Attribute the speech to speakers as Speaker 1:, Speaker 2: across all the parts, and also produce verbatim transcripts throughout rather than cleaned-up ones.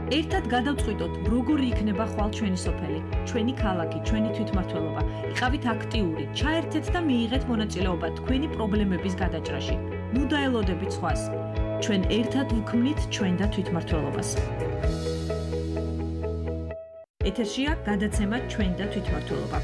Speaker 1: ერთად გადავწყვიტოთ, როგორი იქნება ხვალ ჩვენი სოფელი, ჩვენი ქალაქი, ჩვენი თვითმმართველობა. იყავით აქტიური, ჩაერთეთ და მიიღეთ მონაწილეობა თქვენი პრობლემების გადაჭრაში. ნუ დაელოდებით სხვას. ჩვენ ერთად ვქმნით ჩვენ და თვითმმართველობას. ეთერშია გადაცემა ჩვენ და თვითმმართველობა.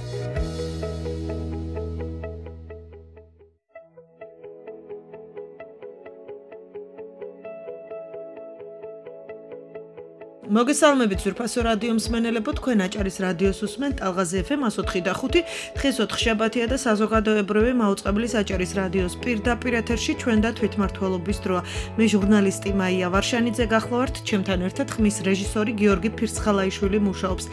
Speaker 1: მოგესალმებით ზურფასო რადიო მსმენელებო, თქვენ აჭარის რადიოს უსმენთ ტალღაზე ეფ ემ ათი და ხუთი. დღეს ოთხშაბათია და საზოგადოებრივი მაუწყებლის აჭარის რადიოს პირდაპირ ეთერში ჩვენ და თვითმმართველობის დროა. მე ჟურნალისტი მაია ვარშანიძე გახლავართ, ჩემთან ერთად ხმის რეჟისორი გიორგი ფირცხალაიშვილი მუშაობს.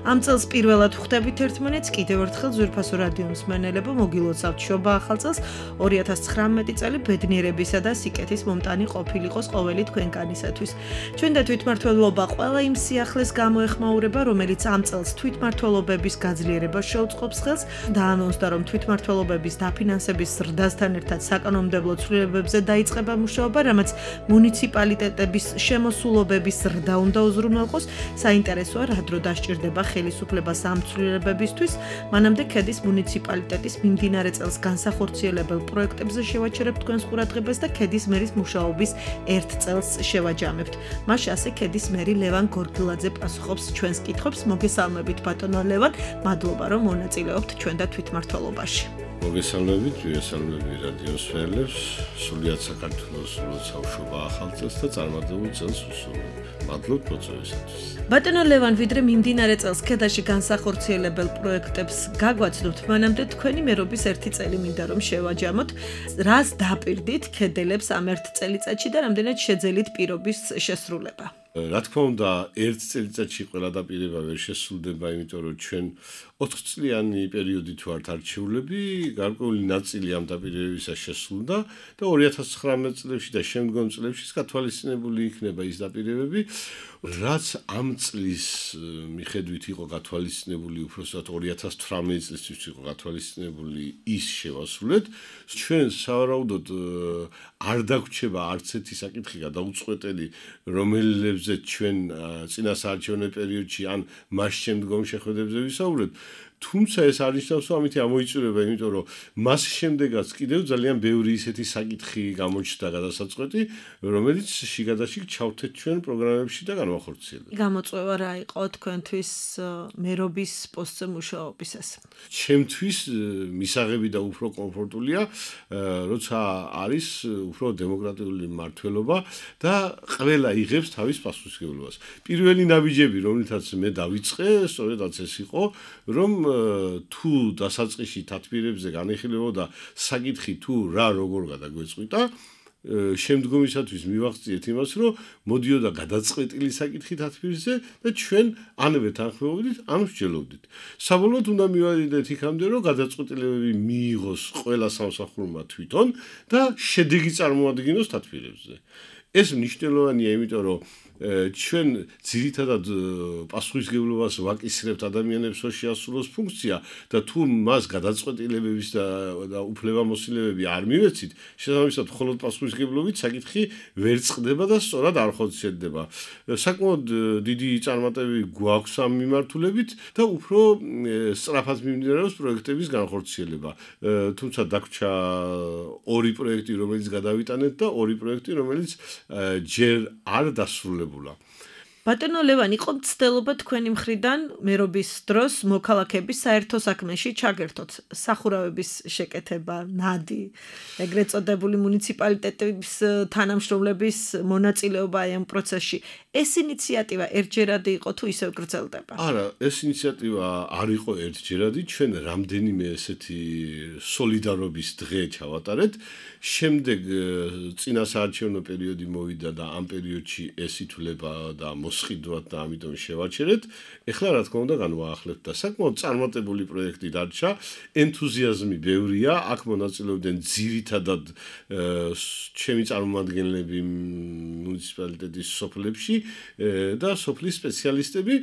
Speaker 1: ამ წელს პირველად ხვდებით ერთმანეთს, კიდევ ერთხელ ზურფასო რადიო მსმენელებო, მოგილოცავთ შობა ახალ წელს. ორი ათას ცხრამეტი წელი ბედნიერებისა და სიკეთის მომტანი ყოფილიყოს ყოველი თქვენგანისათვის. ჩვენ და თვითმმართველობა ყველა იმ სიახლეს გამოეხმაურება, რომელიც ამ წელს თვითმმართველობების გაძლიერებას შეუწყობს ხელს, დაანონსდა, რომ თვითმმართველობების დაფინანსების ზრდასთან ერთად საკანონმდებლო ცვლილებებზე დაიწყება მუშაობა, რამაც მუნიციპალიტეტების შემოსულობების ზრდა უნდა უზრუნველყოს. საინტერესოა, რა დრო დასჭირდება ხელისუფლებას ამ ცვლილებებისთვის. მანამდე ქედის მუნიციპალიტეტის მიმდინარე წელს განსახორციელებელ პროექტებზე შევაჩერებთ თქვენს ყურადღებას და ქედის მერის მუშაობის ერთ წელს შევაჯამებთ. მას ასე ქედის მერი ლევან გორგილაძე პასუხობს ჩვენს კითხვებს. მოგესალმებით ბატონო ლევან, მადლობა რომ მონაწილეობთ ჩვენ და თვითმმართველობაში.
Speaker 2: მოგესალმებით, ვიესალმები რადიოს მსმენელებს, სრულიად საქართველოს ლოცავშობა ახალ წელს და წარმატებულ წელს უსურვებ. მადლობთ მოწვევისათვის.
Speaker 1: ბატონო ლევან, ვიდრე მიმდინარე წელს ქედაში განსახორციელებელ პროექტებს გაგვაცნობთ, მანამდე თქვენი მერობის ერთი წელი მინდა რომ შევაჯამოთ. რას დაპირდით ქედელებს ამ ერთ წელიწადში და რამდენად შეძელით პირობის შესრულება?
Speaker 2: რა თქმა უნდა, ერთ წელიწადში ყველა დაპირება ვერ შესრულდება, იმიტომ რომ ჩვენ ოთხწლიანი პერიოდით ვართ არჩეულები, გარკვეული ნაწილი ამ დაპირებებისა შესრულდა და ორი ათას ცხრამეტ წლებში და შემდგომ წლებში გათვალისწინებული იქნება ის დაპირებები, რაც ამ წლის მიხედვით იყო გათვალისწინებული, უბრალოდ ორი ათას თვრამეტ წლისთვის იყო გათვალისწინებული, ის შევასრულეთ. ჩვენ სავარაუდოდ არ დაგვრჩება არც ერთი საკითხი გადაუწყვეტელი, რომელებზე ჩვენ წინა საარჩევნო პერიოდში ან მას შემდგომ შეხვედრებზე ვისაუბრეთ. თუმცა ეს არნიშნავს, რომ ამით ამოიწურება, იმიტომ რომ მას შემდეგაც კიდევ ძალიან ბევრი ისეთი საკითხი გამოჩნდა გადასაწყვეტი, რომელიც შიგადაშიგ ჩავთეთ ჩვენ პროგრამებში და განვახორციელებთ.
Speaker 1: გამოწვევა რა იყო თქვენთვის მერობის პოსტზე მუშაობისას?
Speaker 2: ჩემთვის მისაღები და უფრო კომფორტულია, როცა არის უფრო დემოკრატიული მმართველობა და ყველა იღებს თავის პასუხისმგებლობას. პირველი ნაბიჯები, რომლითაც მე დავიწყე, სწორედაც ეს იყო, რომ თუ დასაწყისში თათბირებზე განიხილებოდა საკითხი თუ რა როგორ გადაგვეწყვიტა, შემდგომისათვის მივახციეთ იმას, რომ მოდიოდა გადაწყვეტილი საკითხი თათბირზე და ჩვენ ანვე თანხმობდით, ან ვსჯელობდით. საბოლოოდ უნდა მივადიდეთ იქამდე, რომ გადაწყვეტილებები მიიღოს ყველა სამსახურმა თვითონ და შედეგი წარმოადგინოს თათბირებზე. ეს მნიშვნელოვანია, იმიტომ რომ ჩვენ ძირითადად პასუხისმგებლობას ვაკისრებთ ადამიანებს, რომ შეასრულოს ფუნქცია და თუ მას გადაწყვეტილებების და უფლებამოსილებები არ მივეცით, შესაბამისად მხოლოდ პასუხისმგებლობით საკითხი ვერ წყდება და სწორად არ ხორციელდება. საკმაოდ დიდი წარმატებები გვაქვს ამ მიმართულებით და უფრო სწრაფად მიმდინარეობს პროექტების განხორციელება. თუმცა დაგვრჩა ორი პროექტი, რომელიც გადავიტანეთ და ორი პროექტი, რომელიც ჯერ არ დასრულებულა.
Speaker 1: ბატონო ლევან, იყო მცდელობა თქვენი მხრიდან მერობის დროს მოქალაქეების საერთო საქმეში ჩაგერთოთ, სახურავების შეკეთება, ნადი, ეგრეთ წოდებული მუნიციპალიტეტების თანამშრომლების მონაწილეობა ამ პროცესში. ეს ინიციატივა ერთჯერადი იყო თუ ისევ გრძელდება?
Speaker 2: არა, ეს ინიციატივა არ იყო ერთჯერადი, ჩვენ რამდენიმე ესეთი სოლიდარობის დღე ჩავატარეთ. შემდეგ წინა საარჩევნო პერიოდი მოვიდა და ამ პერიოდში ეს ითვლება და მოსყიდვად და ამიტომ შევაჩერეთ. ეხლა რა თქმა უნდა განვაახლებთ და საკმაოდ წარმატებული პროექტი დარჩა, ენთუზიაზმი ბევრია, აქ მონაწილეობდნენ ძირითადად ჩემი წარმომადგენლები მუნიციპალიტეტის სოფლებში და სოფლის სპეციალისტები.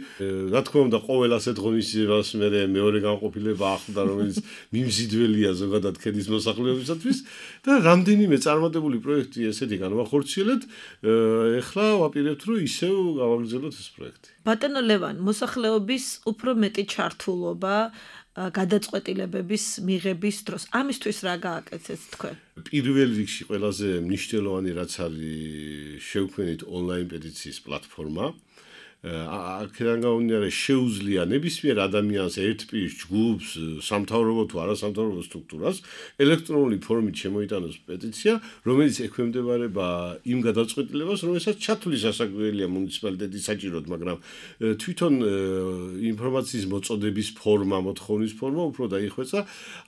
Speaker 2: რა თქმა უნდა ყოველ ასეთ ღონისძიებას მე მეორე განყოფილება ახლდა, რომელიც მიმზიდველია ზოგადად ქედის მოსახლეობისათვის და რამდენიმე წარმატებული პროექტი ესეთი განვახორციელეთ. ეხლა ვაპირებთ, რომ ისევ გავაგრძელოთ ეს პროექტი.
Speaker 1: ბატონო ლევან, მოსახლეობის უფრო მეტი ჩართულობა გადაწყვეტილებების მიღების დროს. ამისთვის რა გააკეთეთ თქვენ?
Speaker 2: პირველ რიგში ყველაზე მნიშვნელოვანი რაც არის შევქმნით ონლაინ პეტიციის პლატფორმა. აქედან გამომდინარე შეუძლია ნებისმიერ ადამიანს ერთპირის ჯგუფს, სამთავრობო თუ არასამთავრობო სტრუქტურას ელექტრონული ფორმით შემოიტანოს პეტიცია, რომელიც ექვემდებარება იმ გადაწყვეტილებას, რომელსაც ჩათვლის სასაკვირველია მუნიციპალიტეტის საჭიროდ, მაგრამ თვითონ ინფორმაციის მოწოდების ფორმა, მოთხოვნის ფორმა უფრო დაიხვეწა.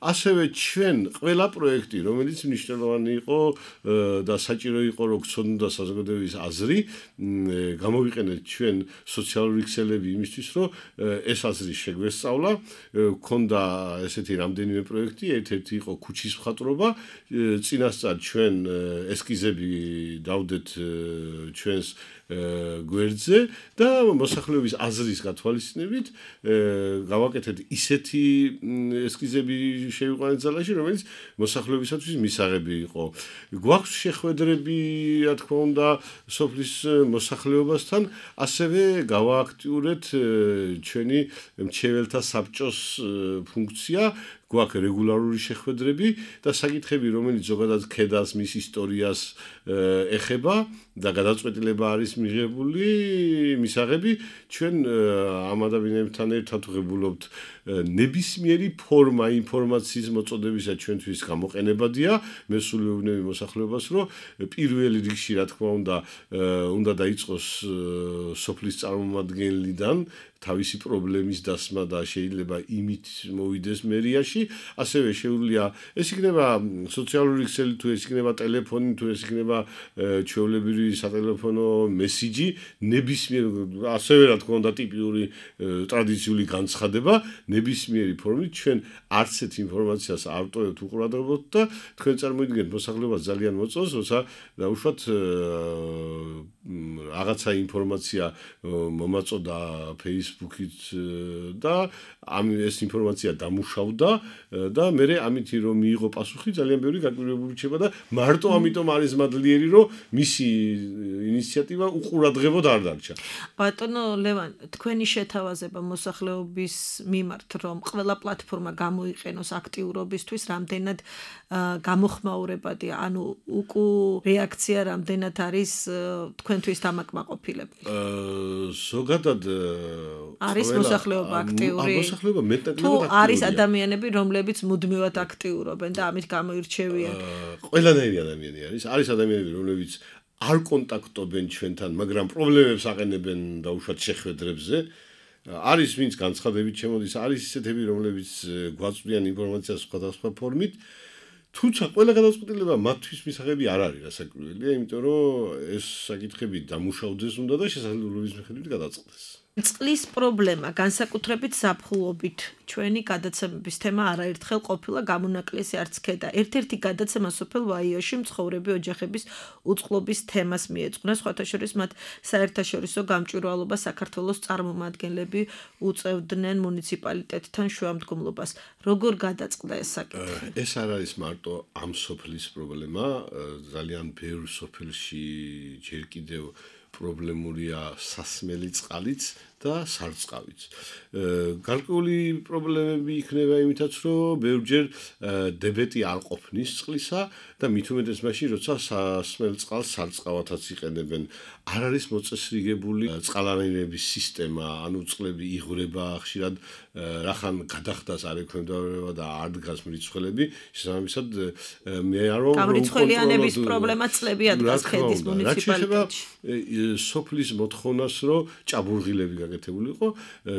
Speaker 2: ასევე ჩვენ ყველა პროექტი, რომელიც მნიშვნელოვანი იყო და საჭირო იყო, რომ გცოდნოდა საზოგადოების აზრი, გამოვიყენეთ ჩვენ სოციალური ქსელები იმისთვის, რომ ეს აზრი შეგვესწავლა, ქონდა ესეთი რამდენიმე პროექტი, ერთ-ერთი იყო ქუჩის მხატვრობა, წინასწარ ჩვენ ესკიზები დავდეთ ჩვენს გვერდზე და მოსახლეობის აზრის გათვალისწინებით გავაკეთეთ ისეთი ესკიზები შევიყვანეთ ზალაში, რომელიც მოსახლეობისათვის მისაღები იყო. გვაქვს შეხვედრები, რა თქმა უნდა, სოფლის მოსახლეობასთან, ასევე გავააქტიურეთ ჩვენი მრჩეველთა საბჭოს ფუნქცია, გვაქვს რეგულარული შეხვედრები და საკითხები, რომელიც ზოგადად ქედას, მის ისტორიას ეხება და გადაწყვეტილება არის მიღებული, მისაღები, ჩვენ ამ ადამიანებთან ერთად ვღებულობთ ნებისმიერი ფორმა ინფორმაციის მოწოდებისა ჩვენთვის გამოყენებადია, მე სულ ვეუბნები მოსახლეობას, რომ პირველ რიგში, რა თქმა უნდა, უნდა დაიწყოს სოფლის წარმომადგენლიდან თავისი პრობლემის დასმა და შეიძლება იმით მოვიდეს მერიაში, ასევე შეუძლია ეს იქნება სოციალური ქსელი თუ ეს იქნება ტელეფონი თუ ეს იქნება ჩვეულებრივი სატელეფონო მესიჯი, ნებისმიერ ასევე რა თქმა უნდა ტიპიური ტრადიციული განცხადება, ნებისმიერი ფორმით ჩვენ არც ერთ ინფორმაციას არ ვტოვებთ უყურადღებოთ და თქვენ წარმოიდგინეთ მოსახლეობას ძალიან მოწონს, როცა დაუშვათ რაღაცა ინფორმაცია მომაწოდა Facebook-ით და ამ ეს ინფორმაცია დამუშავდა და მე ამითი რომ მიიღო პასუხი ძალიან ბევრი გაკვირვებული რჩება და მარტო ამიტომ არის მადლიერი რომ მისი ინიციატივა უყურადღებოდ არ დარჩა.
Speaker 1: ბატონო ლევან, თქვენი შეთავაზება მოსახლეობის მიმართ რომ ყველა პლატფორმა გამოიყენოს აქტიურობისთვის, რამდენად გამოხმაურებადია, ანუ უკუ რეაქცია რამდენად არის თქვენთვის დამაკმაყოფილებელი?
Speaker 2: ზოგადად
Speaker 1: არის მოსახლეობა აქტიური?
Speaker 2: მოსახლეობა მეტნაკლებად
Speaker 1: თუ
Speaker 2: აქტიურია.
Speaker 1: არის ადამიანები, რომლებიც მუდმივად აქტიურობენ და ამით გამოირჩევიან?
Speaker 2: ყველანაირი ადამიანი არის. არის ადამიანები, რომლებიც არ კონტაქტობენ ჩვენთან, მაგრამ პრობლემებს აყენებენ დაუშვათ შეხვედრებზე. არის ვინც განცხადებით შემოდის, არის ისეთები, რომლებიც გვაწვდიან ინფორმაციას სხვადასხვა ფორმით. თუმცა ყველა გადაწყვეტილება მათთვის მისაღები არ არის რასაკვირველია, იმიტომ რომ ეს საკითხები დამუშავდეს უნდა და შესაძლებლობის მიხედვით გადაწყდეს.
Speaker 1: წყლის პრობლემა, განსაკუთრებით ზაფხულობით, ჩვენი გადაცემების თემა არაერთხელ ყოფილა გამონაკლისი არც ქედა. ერთ-ერთი გადაცემა სოფელ ვაიოში მცხოვრები ოჯახების უწყლობის თემას მიეძღვნა, სხვათა შორის მათ საერთაშორისო გამჭვირვალობა საქართველოს წარმომადგენლები უწევდნენ მუნიციპალიტეტთან შუამდგომლობას. როგორ გადაწყდა ეს საკითხი?
Speaker 2: ეს არ არის მარტო ამ სოფლის პრობლემა, ძალიან ბევრ სოფელში ჯერ კიდევ პრობლემურია სასმელი წყალიც და სარწყავიც. გარკვეული პრობლემები იქნება იმითაც, რომ ბევრჯერ დებეტი არ ყოფნის წყლისა და მით უმეტეს მაშინ, როცა სასმელ წყალს სარწყავათაც იყენებენ. არ არის მოწესრიგებული წყალარაინების სისტემა, ანუ წყლები იღვრება ხშირად რახან გადახდას არ ექვემდებარება და არ დგას მრიცხველები, შესაბამისად მე არ რომ
Speaker 1: გამრიცხველიანების პრობლემა წლები ადგას ქედის მუნიციპალიტეტში.
Speaker 2: სოფლის მოთხოვნას, რომ ჭაბურღილები გაკეთებული იყო,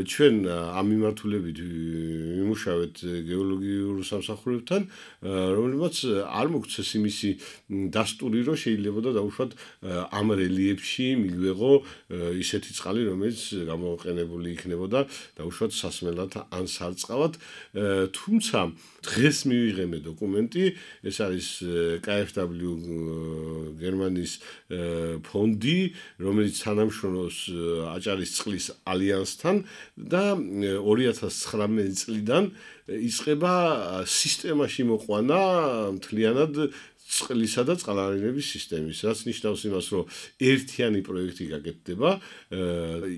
Speaker 2: ჩვენ ამ მიმართულებით ვიმუშავეთ გეოლოგიურ სამსახურებთან, რომლებმაც არ მოგცეს იმისი დასტური, რომ შეიძლება და დაუშვათ ამ რელიეფში მიგვეღო ისეთი წყალი, რომელიც გამოყენებული იქნებოდა დაუშვათ სასმელად ან სარწყავად, თუმცა დღეს მივიღემე დოკუმენტი, ეს არის კა ეფ დაბლიუ გერმანიის ფონდი, რომელიც თანამშრომლობს აჭარის წყლის ალიანსთან და ორი ათას ცხრამეტი წლიდან იწყება სისტემაში მოყვანა მთლიანად წყლისა და წყალარინების სისტემის, რაც ნიშნავს იმას, რომ ერთიანი პროექტი გაკეთდება,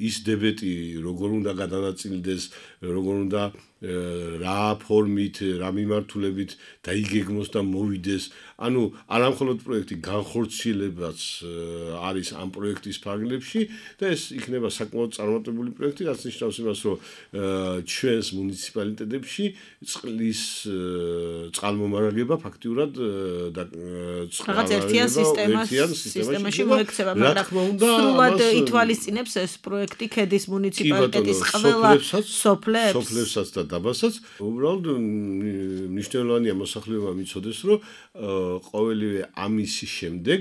Speaker 2: ის დებეტი როგორ უნდა გადანაწილდეს, როგორ უნდა რა ფორმით, რა მიმართულებით დაიგეგმოს და მოვიდეს. ანუ არა მხოლოდ პროექტი განხორციელებაც არის ამ პროექტის ფარგლებში და ეს იქნება საკმაოდ წარმატებული პროექტი, რაც ნიშნავს იმას, რომ ჩვენს მუნიციპალიტეტებში წყლის წყალმომარაგება ფაქტიურად და
Speaker 1: რაღაც ერთიან სისტემაში მოექცევა, მაგრამ სრულად ითვალისწინებს ეს პროექტი ქედის მუნიციპალიტეტის ყველა სოფლებს
Speaker 2: სოფლებსაც და დაბასაც. უბრალოდ მნიშვნელოვანია მოსახლეობა მიცოდეს, რომ ყოველივე ამისი შემდეგ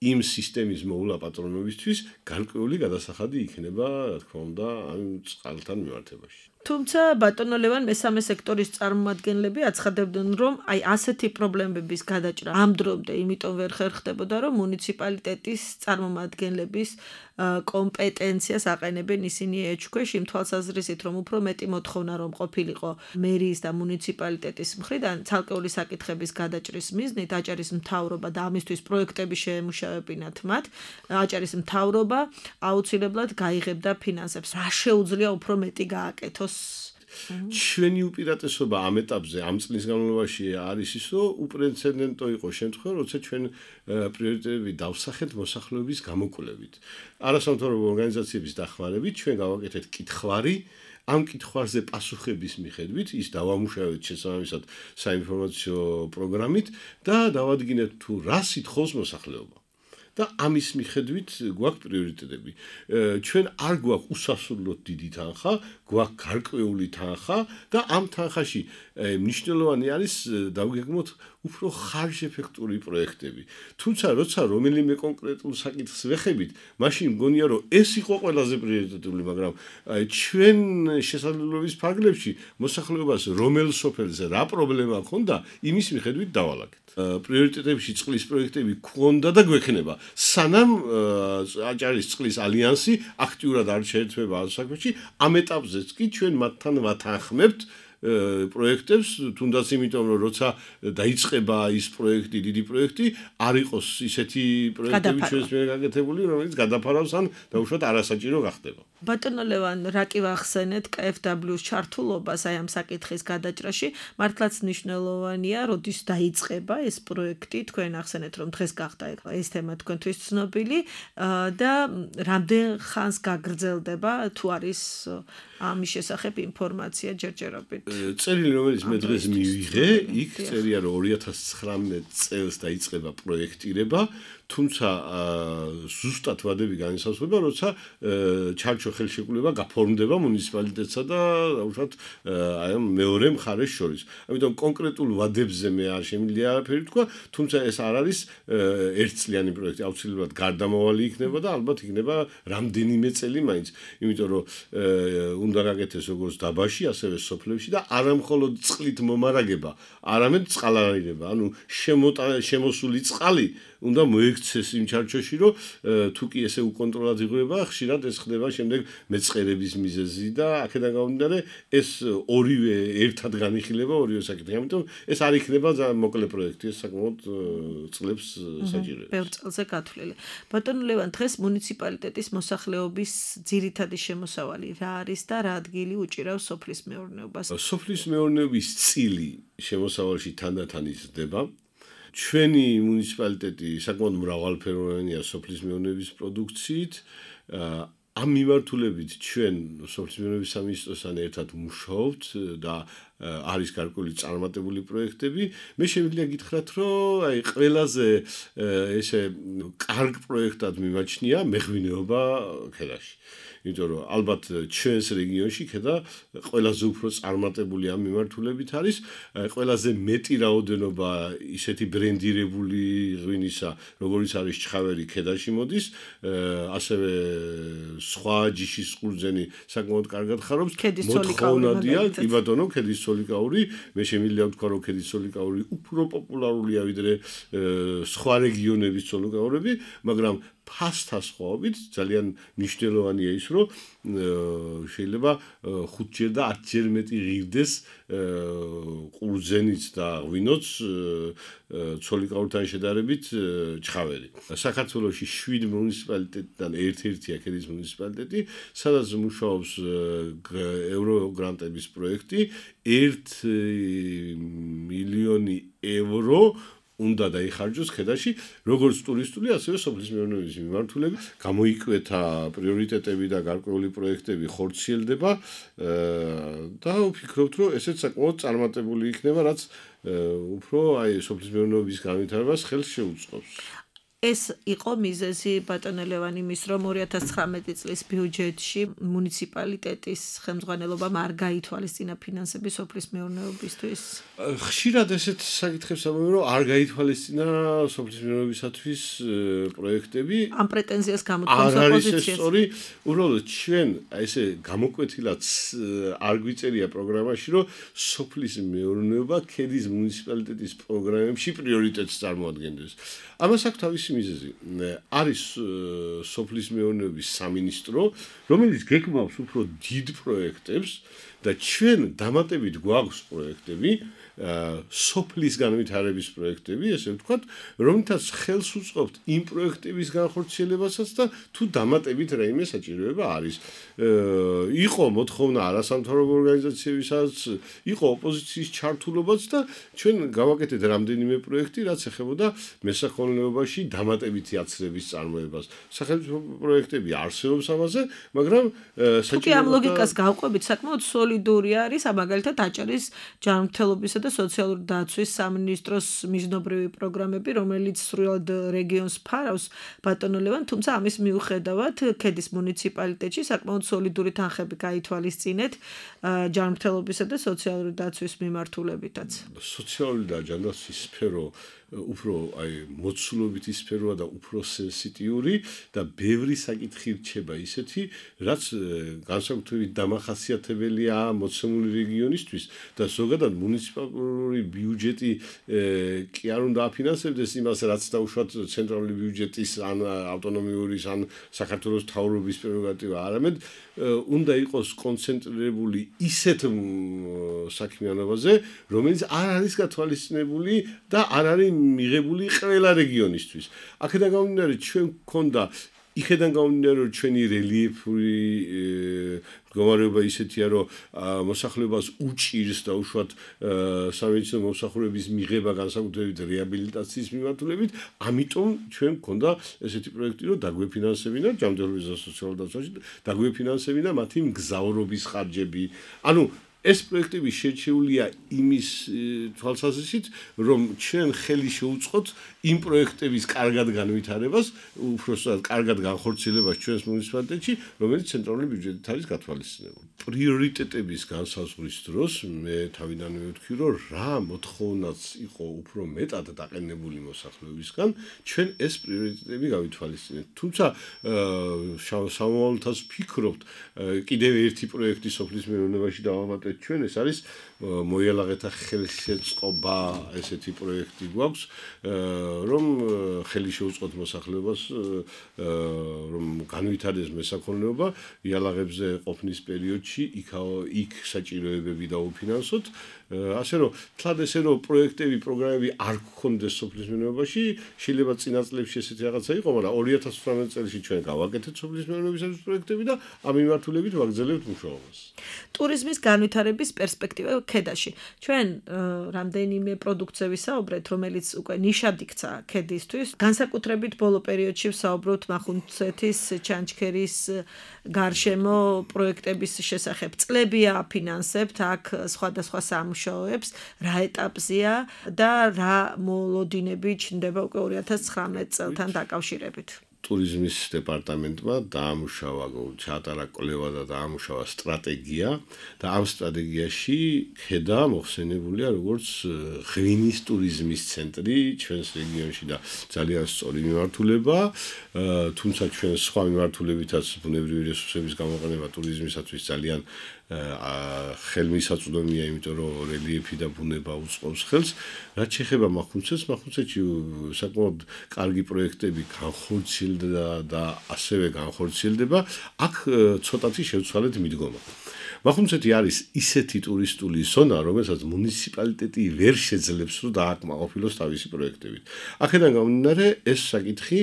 Speaker 2: იმ სისტემის მოულა პატრონობისთვის გარკვეული გადასახადი იქნება, რა თქმა უნდა, ამ წყალთან მიმართებაში.
Speaker 1: თუმცა ბატონო ლევან მესამე სექტორის წარმომადგენლები აცხადებდნენ, რომ აი ასეთი პრობლემების გადაჭრა ამ დრომდე იმიტომ ვერ ხერხდებოდა, რომ მუნიციპალიტეტის წარმომადგენლების კომპეტენციას აყენებენ ისინი ეჭქვეშ, იმ თვალსაზრისით, რომ უფრო მეტი მოთხოვნა რომ ყოფილიყო მერიის და მუნიციპალიტეტის მხრიდან ცალკეული საკითხების გადაჭრის მიზნით აჭარის მთავრობა და ამისთვის პროექტები შეემუშავებინათ მათ, აჭარის მთავრობა აუცილებლად გაიღებდა ფინანსებს. რა შეუძლია უფრო მეტი გააკეთოს?
Speaker 2: ჩვენი უპირატესობა ამ ეტაპზე, ამ წლის განმავლობაში არის ის, რომ უპრეცედენტო იყო შემთხვევა, როცა ჩვენ პრიორიტეტები დავსახეთ მოსახლეობის გამოკვლევით. არასამთავრობო ორგანიზაციების დახმარებით ჩვენ გავაკეთეთ კითხვარი, ამ კითხვარზე პასუხების მიხედვით ის დავამუშავეთ შესაბამისად საინფორმაციო პროგრამით და დავადგინეთ თუ რა სითხოს მოსახლეობა. და ამის მიხედვით გვაქვს პრიორიტეტები. ჩვენ არ გვაქვს უსასრულოდ დიდი თანხა, გვაქვს გარკვეული თანხა და ამ თანხაში მნიშვნელოვანი არის დავგეგმოთ უფრო ხარჯეფექტური პროექტები. თუმცა როცა რომელიმე კონკრეტულ საკითხს ვეხებით, მაშინ მგონია რომ ეს იყო ყველაზე პრიორიტეტული, მაგრამ ჩვენ შესაძლებლობის ფარგლებში მოსახლეობას რომელ სოფელზე რა პრობლემა ჰქონდა, იმის მიხედვით დავალაგეთ. პრიორიტეტებში წყლის პროექტები გვქონდა და გვექნება. სანამ აჭარის წყლის ალიანსი აქტიურად არ შეერთვება ამ საქმეში, ამ ეტაპზეც კი ჩვენ მათთან ვათანხმებთ პროექტებს, თუნდაც იმიტომ რომ როცა დაიწყება ის პროექტი, დიდი პროექტი, არ იყოს ისეთი პროექტები ჩვენს მიერ გაკეთებული, რომელიც გადაფარავს ან დაუშვათ არასაჭირო გახდება.
Speaker 1: ბატონო ლევან, რა კი ვახსენეთ კეი ეფ დაბლიუ-ს ჩართულობას აი ამ საკითხის გადაჭრაში, მართლაც მნიშვნელოვანია, როდის დაიწყება ეს პროექტი, თქვენ ახსენეთ, რომ დღეს გახდა ეს თემა თქვენთვის ცნობილი და რამდენ ხანს გაგრძელდება, თუ არის ამის შესახებ ინფორმაცია ჯერჯერობით.
Speaker 2: წერილი, რომელიც მე დღეს მივიღე, იქ წერია, რომ ორი ათას ცხრამეტ წელს დაიწყება პროექტირება, თუმცა ზუსტად ვადები განისაზღვრება, როცა ჩარჩო ხელშეკრულება გაფორმდება მუნიციპალიტეტსა და უშუალოდ აი ამ მეორე მხარეს შორის. ამიტომ კონკრეტულ ვადებზე მე არ შემიძლია არაფერი თქვა, თუმცა ეს არ არის ერთწლიანი პროექტი, აუცილებლად გარდამავალი იქნება და ალბათ იქნება რამდენიმე წელი მაინც, იმიტომ რომ უნდა გაკეთდეს როგორც დაბაში, ასევე სოფლებში და არა მხოლოდ წყლით მომარაგება, არამედ წყალარინება, ანუ შემოსული წყალი უნდა მოექცეს იმ ჩარჩოში, რომ თუ კი ესე უკონტროლად იღება, ხშირად ეს ხდება შემდეგ მეწყერების მიზეზი და აქედან გამომდინარე ეს ორივე ერთად განიხილება ორივე საკითხი. ამიტომ ეს არ იქნება მოკლე პროექტი, ეს საკმაოდ წლებს საჭიროებს.
Speaker 1: ბევრ წელზე გათვლილი. ბატონო ლევან, დღეს მუნიციპალიტეტის მოსახლეობის ძირითადი შემოსავალი რა არის და რა ადგილი უჭირავს სოფლის მეურნეობას?
Speaker 2: სოფლის მეურნეობის წილი შემოსავალში თანდათან იზრდება. ჩვენი მუნიციპალიტეტი საკმაოდ მრავალფეროვანია სოფლის მეურნეობის პროდუქციით. ამ მიმართულებით ჩვენ სოფლის მეურნეობის სამინისტროსთან ერთად მუშაობთ და არის გარკვეული წარმატებული პროექტები. მე შემიძლია გითხრათ, რომ აი ყველაზე ესე კარგ პროექტად მიმაჩნია მეღვინეობა ქედაში. იმიტომ რომ ალბათ ჩვენს რეგიონში ქედა ყველაზე უფრო წარმატებული ამ მიმართულებით არის, ყველაზე მეტი რაოდენობა ისეთი ბრენდირებული ღვინისა, როგორიც არის ჩხავერი ქედაში მოდის, ასევე სხვა ჯიშის ყურძენი საკმაოდ კარგად ხარობს. მოთხოვნადია, კი ბატონო, ქედის სოლიკაური, მე შემიძლია ვთქვა, რომ ქედის სოლიკაური უფრო პოპულარულია ვიდრე სხვა რეგიონების სოლიკაურები, მაგრამ ფასთა სხვაობით ძალიან მნიშვნელოვანია ის, რომ შეიძლება ხუთჯერ და ათჯერ მეტი ღირდეს ყურძენიც და ღვინოც ცოლიკაურთან შედარებით ჩხავერი. საქართველოში შვიდ მუნიციპალიტეტიდან ერთ-ერთია ქედის მუნიციპალიტეტი, სადაც მუშაობს ევროგრანტების პროექტი ერთი მილიონი ევრო უნდა დაიხარჯოს ქედაში, როგორც ტურისტული, ასევე სოფლის მეურნეობის მიმართულებით. გამოიკვეთა პრიორიტეტები და გარკვეული პროექტები ხორციელდება და ვფიქრობთ, რომ ესეც საკმაოდ წარმატებული იქნება, რაც უფრო აი სოფლის მეურნეობის განვითარებას ხელს შეუწყობს.
Speaker 1: ეს იყო მიზეზი ბატონო ლევან იმის, რომ ორი ათას ცხრამეტი წლის ბიუჯეტში მუნიციპალიტეტის ხელმძღვანელობამ არ გაითვალისწინა ფინანსები სოფლის მეურნეობისთვის.
Speaker 2: ხშირად ესეთ საკითხებს ამბობენ, რომ არ გაითვალისწინა სოფლის მეურნეობისათვის პროექტები.
Speaker 1: ამ პრეტენზიას გამოთქვამს ოპოზიციას.
Speaker 2: სწორი, უბრალოდ ჩვენ ესე გამოკვეთილად არ გვიწერია პროგრამაში, რომ სოფლის მეურნეობა ქედის მუნიციპალიტეტის პროგრამებში პრიორიტეტს წარმოადგენდეს. ამას აქვს თავისი მიზეზი. არის სოფლის მეურნეობის სამინისტრო, რომელიც გეგმავს უფრო დიდ პროექტებს და ჩვენ დამატებით გვაქვს პროექტები, სოფლის განვითარების პროექტები, ესე ვთქვათ, რომლითაც ხელს უწყობთ იმ პროექტების განხორციელებასაც და თუ დამატებით რაიმე საჭიროება არის. იყო მოთხოვნა არასამთავრობო ორგანიზაციებისაც, იყო ოპოზიციის ჩართულობაც და ჩვენ გავაკეთეთ რამდენიმე პროექტი, რაც ეხებოდა მესაქონლეობაში დამატებითი აცრების წარმოებას. სახელმწიფო პროექტები არსებობს ამაზე, მაგრამ
Speaker 1: თუკი ამ ლოგიკას გავყვებით, საკმაოდ სოლიდური არის, მაგალითად აჭარის ჯანმრთელობისა და სოციალური დაცვის სამინისტროს მიჯნობრივი პროგრამები, რომელიც სრულად რეგიონს ფარავს ბატონო ლევან, თუმცა ამის მიუხედავად ქედის მუნიციპალიტეტში საკმაოდ სოლიდური თანხები გაითვალისწინეთ ჯანმრთელობისა და სოციალური დაცვის მიმართულებითაც.
Speaker 2: სოციალური და ჯანდაცვის სფერო უფრო აი მოცულობითი სფეროა და უფრო სენსიტიური და ბევრი საკითხი რჩება ისეთი, რაც განსაკუთრებით დამახასიათებელია მოცემული რეგიონისთვის და ზოგადად მუნიციპალური ბიუჯეტი კი არ უნდა აფინანსებდეს იმას, რაც დაუშვათ ცენტრალური ბიუჯეტის ან ავტონომიური ან საქართველოს მთავრობის პრეროგატივა, არამედ უნდა იყოს კონცენტრირებული ისეთ საქმიანობაზე, რომელიც არ არის გათვალისწინებული და არ არის მიღებული ყველა რეგიონისთვის. აქედან გამომდინარე, ჩვენ გქონდა იქედან გამომდინარე, რომ ჩვენი რელიეფური მდგომარეობა ისეთია, რომ მოსახლეობას უჭირს და უშუალოდ სამედიცინო მომსახურების მიღება განსაკუთრებით რეაბილიტაციის მიმართულებით, ამიტომ ჩვენ გქონდა ესეთი პროექტი, რომ დაგვეფინანსებინა ჯანმრთელობის და სოციალურ დაცვაში, დაგვეფინანსებინა მათი მგზავრობის ხარჯები. ანუ ეს პროექტები შერჩეულია იმის თვალსაზრისით, რომ ჩვენ ხელი შეუწყოთ იმ პროექტების კარგად განვითარებას, უბრალოდ კარგად განხორციელებას ჩვენს მუნიციპალიტეტში, რომელიც ცენტრალური ბიუჯეტით არის გათვალისწინებული. პრიორიტეტების განსაზღვრის დროს მე თავიდანვე ვთქვი, რომ რა მოთხოვნაც იყო უფრო მეტად დაყენებული მოსახლეობისგან, ჩვენ ეს პრიორიტეტები გავითვალისწინეთ. თუმცა სამომავლოდაც ვფიქრობთ, კიდევ ერთი პროექტი სოფლის მეურნეობაში დავამატეთ ჩვენ, ეს არის მოიალაღეთა ხელშეწყობა, ესეთი პროექტი გვაქვს, რომ ხელი შეუწყოთ მოსახლეობას, რომ განვითარდეს მესაქონლეობა, იალაღებზე ყოფნის პერიოდში იქ საჭიროებები დაუფინანსოთ. ასე რომ, თლად ესე რომ პროექტები, პროგრამები არ გქონდეს სოფლის მეურნეობაში, შეიძლება წინა წლებში ესეთი რაღაცა იყო, მაგრამ ორი ათას ცხრამეტ წელს ჩვენ გავაკეთეთ სოფლის მეურნეობისათვის პროექტები და ამ მიმართულებით ვაგრძელებთ მუშაობას.
Speaker 1: ტურიზმის განვითარების პერსპექტივა ქედაში. ჩვენ რამდენიმე პროდუქციების საუბრეთ, რომელიც უკვე ნიშად იქცა ქედისთვის. განსაკუთრებით ბოლო პერიოდში ვსაუბრობთ მახუნცეთის, ჩანჩქერის გარშემო პროექტების შესახებ. წლებია აფინანსებთ აქ სხვადასხვა სამუშაოებს, რა ეტაპზეა და რა მოლოდინები ჩნდება უკვე ორი ათას ცხრამეტ წელთან დაკავშირებით.
Speaker 2: ტურიზმის დეპარტამენტმა დაამუშავა, ჩაატარა კვლევა და დაამუშავა სტრატეგია და ამ სტრატეგიაში ქედა მოხსენებულია როგორც ღვინის ტურიზმის ცენტრი ჩვენს რეგიონში და ძალიან სწორი მიმართულება, თუმცა ჩვენ სხვა მიმართულებითაც ბუნებრივი რესურსების გამოყენება ტურიზმისათვის ძალიან ხელმისაწვდომია, იმიტომ რომ რელიეფი და ბუნება უწყობს ხელს. რაც შეეხება მახუნცეთს, მახუნცეთში საკმაოდ კარგი პროექტები განხორციელებულია განხორციელდა და ასევე განხორციელდება, აქ ცოტათი შევცვალეთ მიდგომა. მახუნცეთი არის ისეთი ტურისტული ზონა, რომელსაც მუნიციპალიტეტი ვერ შეძლებს რომ დააკმაყოფილოს თავისი პროექტებით. აქედან გამომდინარე, ეს საკითხი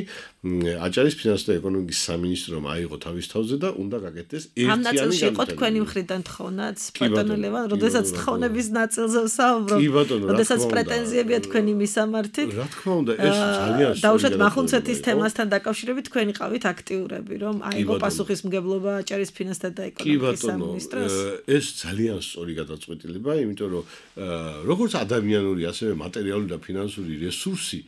Speaker 2: აჭარის ფინანსთა და ეკონომიკის სამინისტრომ აიღო თავის თავზე და უნდა გაკეთდეს ერთიანი
Speaker 1: ამ ნაწილში იყო თქვენი მხრიდან თხოვნაც, ბატონო ლევან, როდესაც თხოვნების ნაწილზე ვსაუბრობ, როდესაც პრეტენზიებია თქვენი მისამართი.
Speaker 2: რა თქმა უნდა, ეს ძალიან
Speaker 1: დაუშვათ მახუნცეთის თემასთან დაკავშირებით თქვენი ყავით აქტიურები, რომ აიღო პასუხისმგებლობა აჭარის ფინანსთა და ეკონომიკის სამინისტროს.
Speaker 2: ეს ძალიან სწორი გადაწყვეტილება, იმიტომ რომ როგორც ადამიანური, ასევე მატერიალური და ფინანსური რესურსი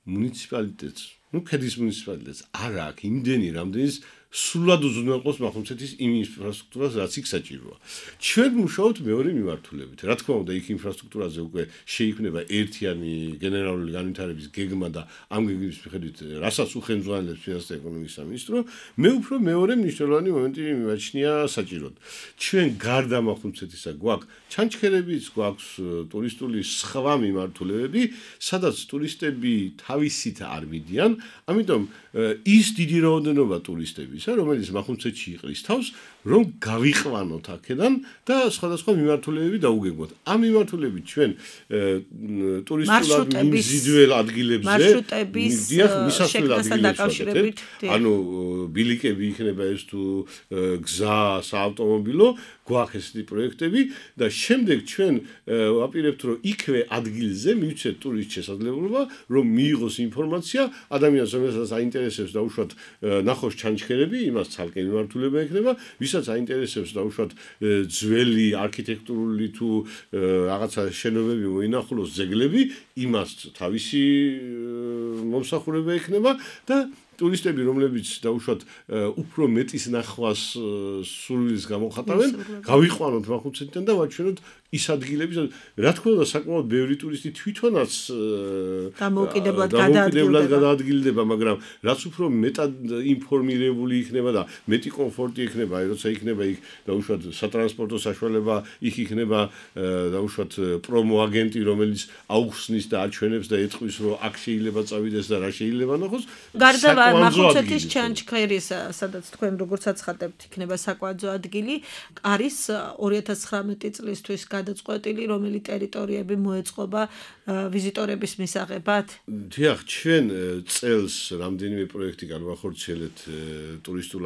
Speaker 2: მუნიციპალიტეტს, ну, ქედის მუნიციპალიტეტს არ აქვს იმდენი, რამდენის სულად უზრუნველყოფს მახუნცეთის იმ ინფრასტრუქტურას, რაც იქ საჭიროა. ჩვენ მუშაობთ მეორე მიმართულებით. რა თქმა უნდა, იქ ინფრასტრუქტურაზე უკვე შეიქმნება ერთიანი გენერალური განვითარების გეგმა და ამ გეგმის მიხედვით, რასაც უხელმძღვანელებს ფინანსთა და ეკონომიკის სამინისტრო, მე უფრო მეორე მნიშვნელოვანი მომენტი მიმაჩნია საჭიროდ. ჩვენ გარდა მახუნცეთისა გვაქვს ჩანჩქერებიც, გვაქვს ტურისტული სხვა მიმართულებები, სადაც ტურისტები თავისით არ მიდიან, ამიტომ ის დიდი რაოდენობა ტურისტები რომელიც მახუნცეთში იყრის თავს, რომ გავიყვანოთ აქედან და სხვადასხვა მიმართულებები დაუგეგმოთ. ამ მიმართულებით ჩვენ ტურისტულად მიმზიდველ ადგილებზე
Speaker 1: მარშრუტების
Speaker 2: შექმნასთან დაკავშირებით, ანუ ბილიკები იქნება ეს თუ გზა, საავტომობილო, გვაქვს ესეთი პროექტები და შემდეგ ჩვენ ვაპირებთ, რომ იქვე ადგილზე მივცეთ ტურისტ შესაძლებლობა, რომ მიიღოს ინფორმაცია ადამიანს, რომელსაც აინტერესებს დაუშვათ ნახოს ჩანჩქერები, იმას ცალკე მიმართულება ექნება, ვისაც აინტერესებს დაუშვათ ძველი არქიტექტურული თუ რაღაცა შენობები მოინახულოს ძეგლები, იმას თავისი მომსახურება ექნება და ტურისტები, რომლებიც დაუშვათ უფრო მეტის ნახვას სურვილს გამოხატავენ, გავიყვანოთ მახუნცეთიდან და ვაჩვენოთ ის ადგილები, რა თქმა უნდა, საკმაოდ ბევრი ტურისტი თვითონაც
Speaker 1: დამოუკიდებლად
Speaker 2: გადაადგილდება, მაგრამ რაც უფრო მეტად ინფორმირებული იქნება და მეტი კომფორტი იქნება, აი როცა იქნება იქ დაუშვათ სატრანსპორტო საშუალება, იქ იქნება დაუშვათ პრომო აგენტი, რომელიც აუხსნის და აჩვენებს და ეტყვის, რომ აქ შეიძლება წავიდეს და რა შეიძლება ნახოს.
Speaker 1: გარდა მახუნცეთის ჩანჩქერის, სადაც თქვენ როგორც აცხადებთ, იქნება საკვანძო ადგილი, არის ორი ათას ცხრამეტი წლისთვის გადაწყვეტილი, რომელი ტერიტორიები მოეწყობა ვიზიტორების მისაღებად?
Speaker 2: დიახ, ჩვენ წელს რამდენიმე პროექტი განვახორციელეთ ტურისტულ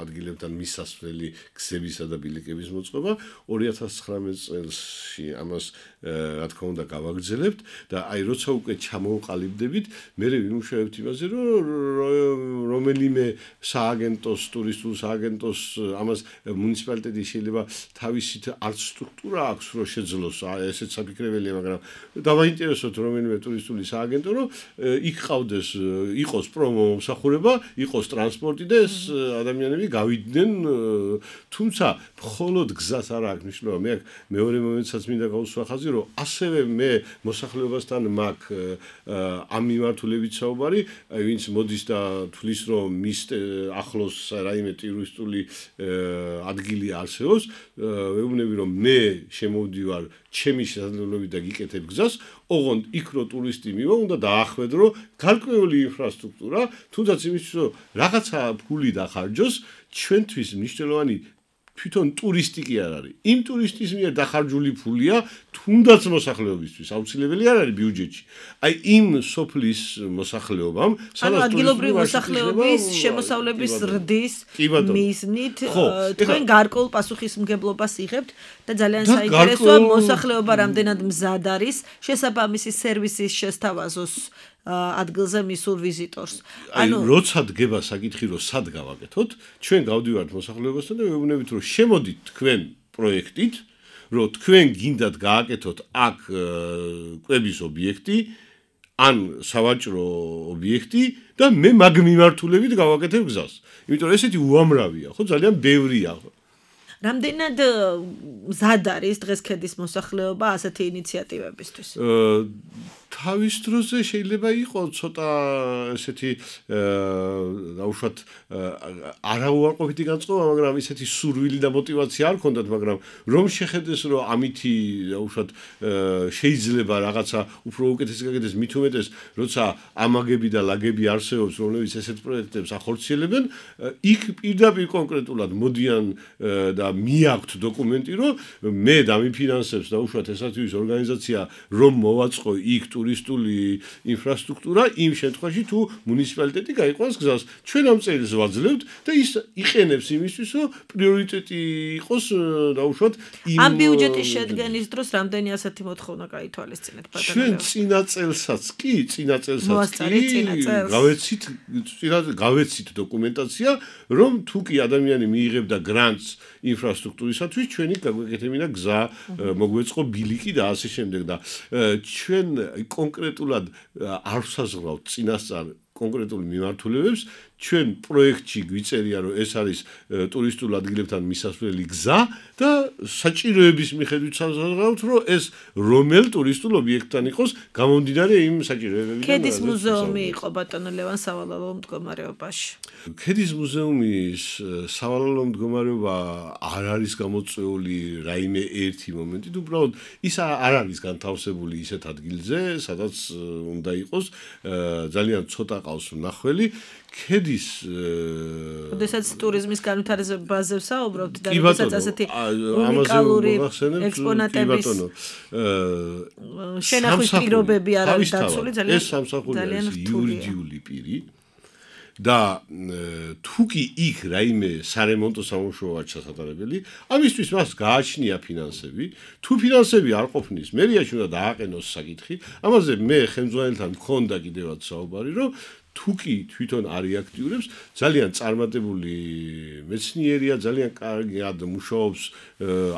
Speaker 2: ადგილებთან მისასვლელი გზებისა და ბილიკების მოწყობა. ორი ათას ცხრამეტ წელსში ამას რა თქმა უნდა გავაგრძელებთ და აი როცა უკვე ჩამოვყალიბდებით, მე ვიმუშავებთ იმაზე, რომ რომელიმე სააგენტოს, ტურისტულ სააგენტოს ამას მუნიციპალიტეტი შეიძლება თავისით არც სტრუქტურა აქვს, რომ შეძლოს, ესეც საფიქრებელია, მაგრამ დავაინტერესოთ რომელიმე ტურისტული სააგენტო, რომ იქ ყავდეს, იყოს პრომო მომსახურება, იყოს ტრანსპორტი და ეს ადამიანები გავიდნენ, თუმცა მხოლოდ გზას არ აქვს მნიშვნელობა. მე მეორე მომენტსაც მინდა გავუსვა ხაზი, რომ ასევე მე მოსახლეობასთან მაქვს ამ მიმართულებით საუბარი, ვინც მოდის და თulis რომ მის ახლოს რაიმე ტურისტული ადგილი არსებობს, ვეუბნები რომ მე შემოვდივარ ჩემი შესაძლებლობით და გიკეთებ გზას, ოღონდ იქ რო ტურისტი მივა, უნდა დაახვედრო გარკვეული ინფრასტრუქტურა, თუნდაც იმისთვის რომ რაღაცა ფული დახარჯოს, ჩვენთვის მნიშვნელოვანი თვითონ ტურისტი კი არ არის. იმ ტურისტის მიერ დახარჯული ფულია თუნდაც მოსახლეობისთვის, აუცილებელი არ არის ბიუჯეტში. აი იმ სოფლის მოსახლეობამ,
Speaker 1: სადაც ადგილობრივი მოსახლეობის შემოსავლების ზრდის მიზნით თქვენ გარკვეულ პასუხისმგებლობას იღებთ და ძალიან საინტერესოა მოსახლეობა რამდენად მზად არის შესაბამისი სერვისის შესთავაზოს ადგილზე მისულ ვიზიტორს.
Speaker 2: ანუ როცა დგება საკითხი, რომ სად გავაკეთოთ, ჩვენ გავდივართ მოსახლეობასთან და ვეუბნებით, რომ შემოდით თქვენ პროექტით, რომ თქვენ გინდათ გააკეთოთ აქ კვების ობიექტი, ან სავაჭრო ობიექტი და მე მაგ მიმართულებით გავაკეთებ გზას. იმიტომ რომ ესეთი უამრავია, ხო, ძალიან ბევრია.
Speaker 1: რამდენად მზად არის დღეს ქედის მოსახლეობა ასეთი ინიციატივებისთვის?
Speaker 2: თავის დროზე შეიძლება იყოს ცოტა ესეთი დაუშვათ არაუარყოფითი განწყობა, მაგრამ ისეთი სურვილი და мотиваცია არ ქონდათ, მაგრამ რომ შეხედეს, რომ ამითი დაუშვათ შეიძლება რაღაცა უფრო უკეთესი გაკეთდეს, მით უმეტეს, როცა ამაგები და ლაგები არსებობს, რომლებიც ესეთ პროექტებს ახორციელებენ, იქ პირდაპირ კონკრეტულად მოდიან და მიაქვთ დოკუმენტი, რომ მე დამიფინანსებს დაუშვათ ესათვის ორგანიზაცია, რომ მოვაწყო იქ ტურისტული ინფრასტრუქტურა იმ შემთხვევაში თუ მუნიციპალიტეტი გაიყვანს გზას. ჩვენ ამ წერილს ვაძლევთ და ის იყენებს იმისთვის, რომ პრიორიტეტი იყოს დაუშვათ იმ
Speaker 1: ამ ბიუჯეტის შედგენის დროს რამდენი ასეთი მოთხოვნა გაითვალისწინეთ ბატონო?
Speaker 2: ჩვენ წინა წელსაც კი, წინა წელსაც კი გავეცით გავეცით დოკუმენტაცია, რომ თუ კი ადამიანი მიიღებდა გრანტს ინფრასტრუქტურისათვის, ჩვენი გაგვეკეთებინა გზა, მოგვეწყო ბილიკი და ასე შემდეგ და ჩვენ კონკრეტულად არ ვსაზღვრავთ წინასწარ კონკრეტულ მიმართულებებს, ჩვენ პროექტში გვიწერია, რომ ეს არის ტურისტულ ადგილებთან მისასვლელი გზა და საჭიროების მიხედვით საზღვრავთ, რომ ეს რომელ ტურისტულ ობიექტთან იყოს გამომდინარე იმ საჭიროებებიდან.
Speaker 1: ქედის მუზეუმი იყო ბატონო ლევან სავალალო მდგომარეობაში.
Speaker 2: ქედის მუზეუმის სავალალო მდგომარეობა არ არის გამოწვეული რაიმე ერთი მომენტით, უბრალოდ ის არ არის განთავსებული ისეთ ადგილზე, სადაც უნდა იყოს, ძალიან ცოტა ყავს მნახველი. ქედის
Speaker 1: როდესაც ტურიზმის განვითარებაზე ვსაუბრობთ და როდესაც ასეთი უნიკალური ექსპონატების შენახვის პირობები არ არის დაცული, ძალიან
Speaker 2: ეს სამსახური არის იურიდიული პირი და თუ კი იქ რაიმე სარემონტო სამუშაოა ჩასატარებელი, ამისთვის მას გააჩნია ფინანსები. თუ ფინანსები არ ყოფნის, მერიაში უნდა დააყენოს საკითხი. ამაზე მე ხელმძღვანელთან მქონდა კიდევაც საუბარი, რომ თუ კი თვითონ არის აქტიურებს, ძალიან წარმატებული მეცნიერია, ძალიან კარგად მუშაობს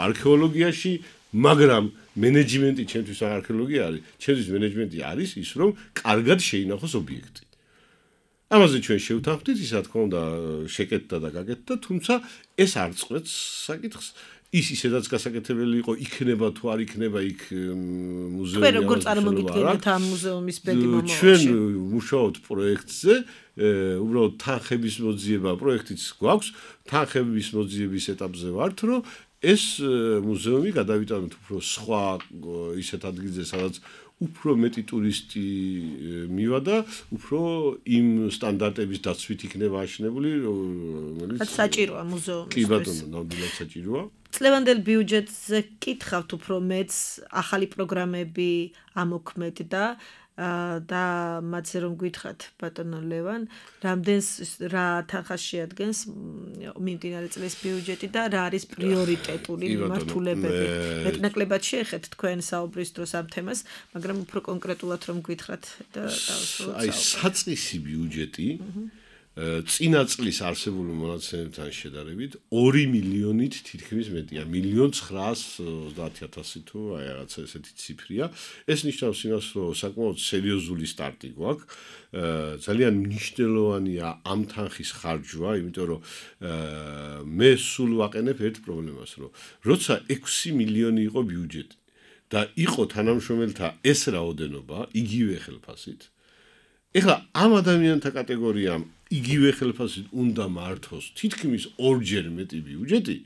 Speaker 2: არქეოლოგიაში, მაგრამ მენეჯმენტი ჩემთვის არქეოლოგია არის, ჩემთვის მენეჯმენტი არის ის, რომ კარგად შეინახოს ობიექტი. ამაზე ჩვენ შევთანხმდით, ისა თქმა უნდა შეკეთდა და გაკეთდა, თუმცა ეს არ წყვეტს sakiths. ის ისედაც გასაკეთებელი იყო, იქნება თუ არ იქნება იქ მუზეუმი.
Speaker 1: თქვენ როგორ წარმოგიდგენთ ამ მუზეუმის ბედი მომავალში?
Speaker 2: ჩვენ მუშაობთ პროექტზე, უბრალოდ თანხების მოძიება პროექტიც გვაქვს, თანხების მოძიების ეტაპზე ვართ, რომ ეს მუზეუმი გადავიტანოთ უფრო სხვა ისეთ ადგილზე, სადაც უფრო მეტი ტურისტი მივადა, უფრო იმ სტანდარტების დაცვით იქნება აშენებული,
Speaker 1: რომელიც საჭიროა მუზეუმისთვის.
Speaker 2: კი ბატონო, ნამდვილად საჭიროა.
Speaker 1: წლევანდელ ბიუჯეტზე კითხავთ უფრო მეც ახალი პროგრამები ამოქმედ და და მათზე რომ გითხრათ ბატონო ლევან, რამდენს რა თანხას შეადგენს მიმდინარე წლის ბიუჯეტი და რა არის პრიორიტეტული მიმართულებები. მეტნაკლებად შეეხეთ თქვენ საუბრის დროს ამ თემას, მაგრამ უფრო კონკრეტულად რომ გითხრათ და დავსრულოთ.
Speaker 2: აი, საწყისი ბიუჯეტი წინა წლის არსებული მონაცემებთან შედარებით ორი მილიონით თითქმის მეტია, მილიონ ცხრაას ოცდაათი ათასი თუ აი რაღაცა ესეთი ციფრია. ეს ნიშნავს იმას, რომ საკმაოდ სერიოზული სტარტი გვაქვს. ძალიან მნიშვნელოვანია ამ თანხის ხარჯვა, იმიტომ რომ მე სულ ვაყენებ ერთ პრობლემას, რომ როცა ექვსი მილიონი იყო ბიუჯეტი და იყო თანამშრომელთა ეს რაოდენობა იგივე ხელფასით, ეხლა ამ ადამიანთა კატეგორიამ იგივე ხელფასით უნდა მართოს თითქმის ორჯერ მეტი ბიუჯეტი,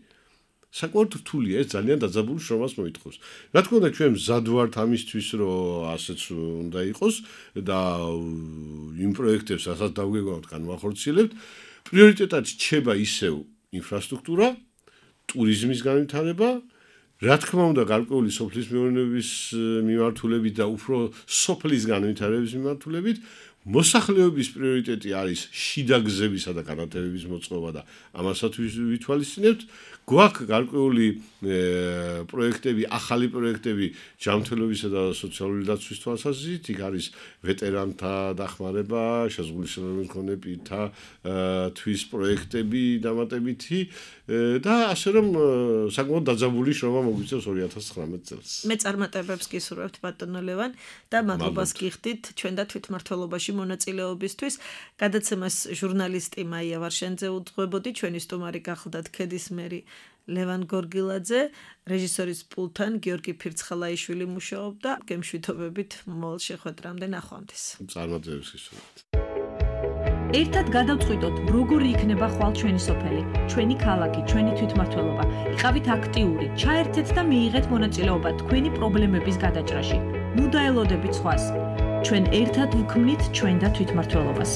Speaker 2: საკმაოდ რთულია, ეს ძალიან დაძაბულ შრომას მოითხოვს. რა თქმა უნდა, ჩვენ მზად ვართ ამისთვის, რომ ასეც უნდა იყოს და იმ პროექტებს, რასაც დავგეგმავთ, განვახორციელებთ. პრიორიტეტად რჩება ისევ ინფრასტრუქტურა, ტურიზმის განვითარება, რა თქმა უნდა, გარკვეული სოფლის მეურნეობის მიმართულებით და უფრო სოფლის განვითარების მიმართულებით. მოსახლეობის პრიორიტეტი არის შიდა გზებისა და განათებების მოწყობა და ამასაც ვითვალისწინებთ. გვაქვს გარკვეული პროექტები, ახალი პროექტები ჯანმრთელობისა და სოციალური დაცვის თვალსაზრისით, იქ არის ვეტერანთა დახმარება, შეზღუდული მქონე პირთა თვის პროექტები დამატებითი და ასე რომ საკმაოდ დაძაბული შრომა მოგვიწევს ორი ათას ცხრამეტ წელს.
Speaker 1: მე წარმატებებს გისურვებთ ბატონო ლევან და მადლობას გიხდით ჩვენ და თვითმმართველობაში მონაწილეობისთვის. გადაცემას ჟურნალისტი მაია ვარშენძე უძღვებოდი, ჩვენი სტუმარი გახლდათ ქედის მერი ლევან გორგილაძე, რეჟისორის პულთან გიორგი ფირცხალაიშვილი მუშაობდა. გემშვიდობებით მომავალ შეხვედრამდე ნახვამდის.
Speaker 2: წარმატებებს გისურვებთ.
Speaker 3: ერთად გადავწყვიტოთ, როგორი იქნება ხვალ ჩვენი სოფელი, ჩვენი ქალაქი, ჩვენი თვითმმართველობა. იყავით აქტიური, ჩაერთეთ და მიიღეთ მონაწილეობა თქვენი პრობლემების გადაჭრაში. ნუ დაელოდებით სხვას. ჩვენ ერთად ვქმნით ჩვენ და თვითმმართველობას.